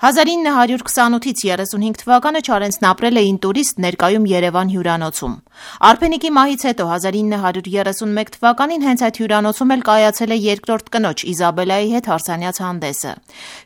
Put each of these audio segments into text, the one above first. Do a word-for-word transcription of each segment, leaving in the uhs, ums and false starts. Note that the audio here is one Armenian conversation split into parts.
հազար ինը հարյուր քսանութից երեսունհինգ թվականը Չարենցն ապրել է ինտուրիստ ներկայում Երևան հյուրանոցում։ Արփենիկի մահից հետո հազար ինը հարյուր երեսունմեկ թվականին հենց այդ հյուրանոցում էլ կայացել է երկրորդ կնոջ Իզաբելայի հետ հարսանյաց հանդեսը։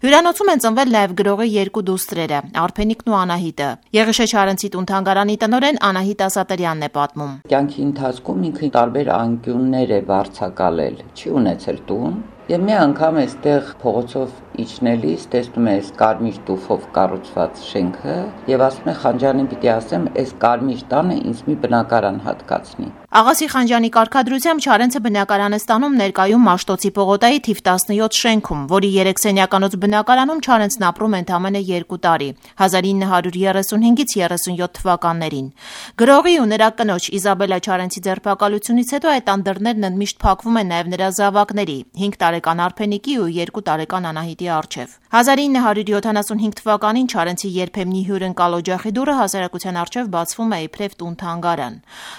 Հյուրանոցում են ծնվել նաև գրողի երկու դուստրերը՝ Արփենիկն ու Անահիտը։ Եղիշե Չարենցի տուն-թանգարանի տնօրեն Անահիտ Ասատերյանն է պատմում։ Կյանքի ընթացքում ինքը տարբեր անկյուններ է վարձակալել, չի ունեցել տուն։ Եվ մի անգամ այստեղ փողոցով իջնելիս տեսնում է այս կարմիր տուֆով կառուցված շենքը եւ ասում է Խանջանին պիտի ասեմ, այս կարմիր տանը ինձ մի բնակարան հատկացնի։ Աղասի Խանջյանի կարգադրությամբ Չարենցը բնակարան է ստանում ներկայում Մաշտոցի պողոտայի թիվ տասնյոթ շենքում, որի երեք սենյականոց բնակարանում Չարենցն ապրում է ընդամենը երկու տարի՝ հազար ինը հարյուր երեսունհինգից երեսունյոթ թվականներին։ Գրողի ու նրա կնոջ Իզաբելա Չարենցի ձերբակալությունից հետո այդ անդրներն ընդմիշտ փակվում են նաև նրա զավակների՝ հինգ տարեկան Արփենիկի ու երկու տարեկան Անահիտի առջև։ հազար ինը հարյուր յոթանասունհինգ թվականին Չարենցի երբեմնի հյուրընկալ օջախի դուռը հասարակության առջև բացվում է իբրև տուն-թանգարան։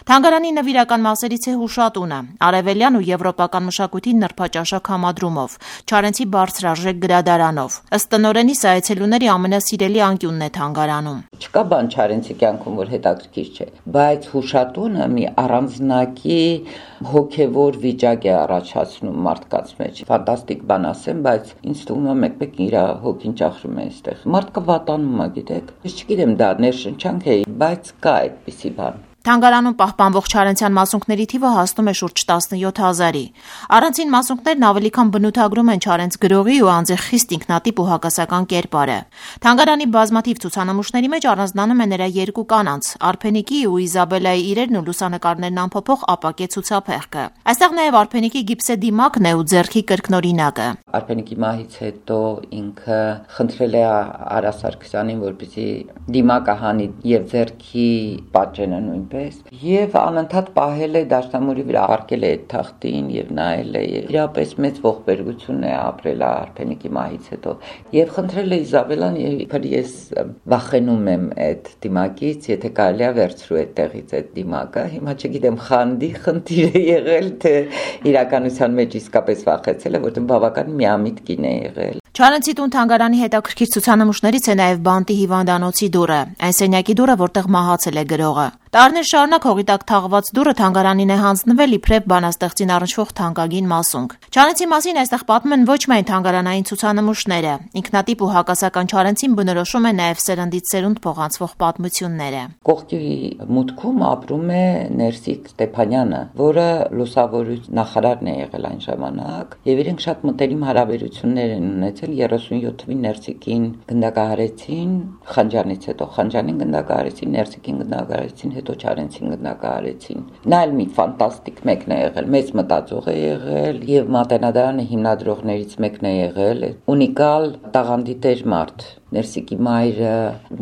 Թանգարանի նվիրական մասերից է հուշատունը, արևելյան ու եվրոպական մշակույթի նրբաճաշակ համադրումով, Չարենցի բարձրարժեք գրադարանով։ Ըստ տնօրենի սա այցելուների ամենասիրելի անկյունն է թանգարանում։ Չկա բան Չարենցի կյանքում, որ հետաքրքիր չէ, բայց հուշատունը մի առանձնակի հոգևոր վիճակ է առաջացնում մարդկանց մեջ։ Ֆանտաստիկ բան ասեմ, բայց ինձ թվում է մեկ-մեկ իր հոգին ճախրում է այստեղ։ Մարդկը վատանում է, գիտեք։ Ես չգիտեմ դա ներշնչանք է, բայց կա այդպիսի բան։ Թանգարանում պահպանվող Չարենցյան մասունքների թիվը հասնում է շուրջ տասնյոթ հազարի։ Առանցին մասունքներն ավելի քան բնութագրում են Չարենց գրողի ու անձի խիստ ինքնատիպ ու հակասական կերպարը։ Թանգարանի բազմաթիվ ցուցանմուշների մեջ առանձնանում է նրա երկու կանանց՝ Արփենիկի ու Իզաբելայի իրերն ու լուսանկարներն ամփոփող ապակե ցուցափեղկը։ Այստեղ նաև Արփենիկի գիպսե դիմակն է ու ձեռքի կրկնօրինակը։ Արփենիկի մահից հետո ինքը խնդրել է Արա Սարգսյանին, որպեսզի դիմակը հանի եւ ձեռքի պատճենը նույնպես Եվ անընդհատ պահել է դաշնամուրի վրա, արկել է այդ թղթին եւ նայել է։ Իրապես մեծ ողբերգություն է ապրել Արփենիկի մահից հետո։ Եվ խնդրել է Իզաբելան, իբր ես վախենում եմ այդ դիմակից, եթե կարելի է վերցրու այդտեղից այդ դիմակը։ Հիմա չգիտեմ խանդի խնդիր է եղել, թե իրականության մեջ իսկապես վախեցել է, որտեղ բավական միամիտ կին է եղել։ Չարենցի տուն-թանգարանի հետաքրքիր ցուցանմուշներից է նաև Բանտի հիվանդանոցի դուռը, այն սենյակի դուռը, որտեղ մահացել է գրողը։ Տարիներ շարունակ հողի տակ թաղված դուռը թանգարանին է հանձնվել իբրև բանաստեղծին առնչվող թանկագին մասունք։ Չարենցի մասին այստեղ պատմում են ոչ միայն թանգարանային ցուցանմուշները, ինքնատիպ ու հակասական Չարենցին բնորոշում է նաև սերնդից սերունդ փոխանցվող պատմությունները։ Կողքի մուտքում ապրում է Ներսիկ Ստեփանյանը, որը լուսավորության նախարարն է եղել այն ժամանակ, եւ իրենք շատ մտերիմ հարաբերություններ են ունեցել երեսունյոթ թվին Ներսիկին գնդակահարեցին Խանջանից հետո, Խանջանին գնդակահարեցին, Ներսիկին գնդակահարեցին, հետո Չարենցին գնդակահարեցին։ Նա էլ մի ֆանտաստիկ մեկն է եղել, մեծ մտածող է եղել եւ Մատենադարանի հիմնադրողներից մեկն է եղել, ունիկալ տաղանդի տեր մարդ։ Ներսիկի մայրը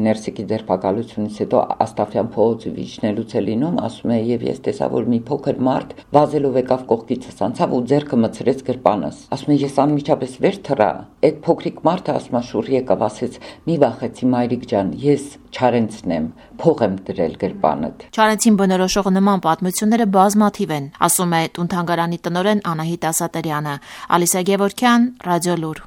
Ներսիկի ձերբակալությունից հետո Աստաֆյան փողոցը վիճնելուց է լինում, ասում է եւ ես տեսա, որ մի փոքր մարդ վազելով եկավ կողքիցս անցավ ու ձեռքը մցրեց գրպանս։ Ասում է ես անմիջապես վեր թռա։ Այդ փոքրիկ մարդը ասում է շուռ եկավ, ասեց՝ մի վախեցի մայրիկ ջան, ես Չարենցն եմ, փող եմ դրել գրպանդ։ Չարենցին բնորոշող նման պատմությունները բազմաթիվ են, ասում է տուն-թանգարանի տնօրեն Անահիտ Ասատերյանը։ Ալիսա Գևորգյան, Ռադիոլուր։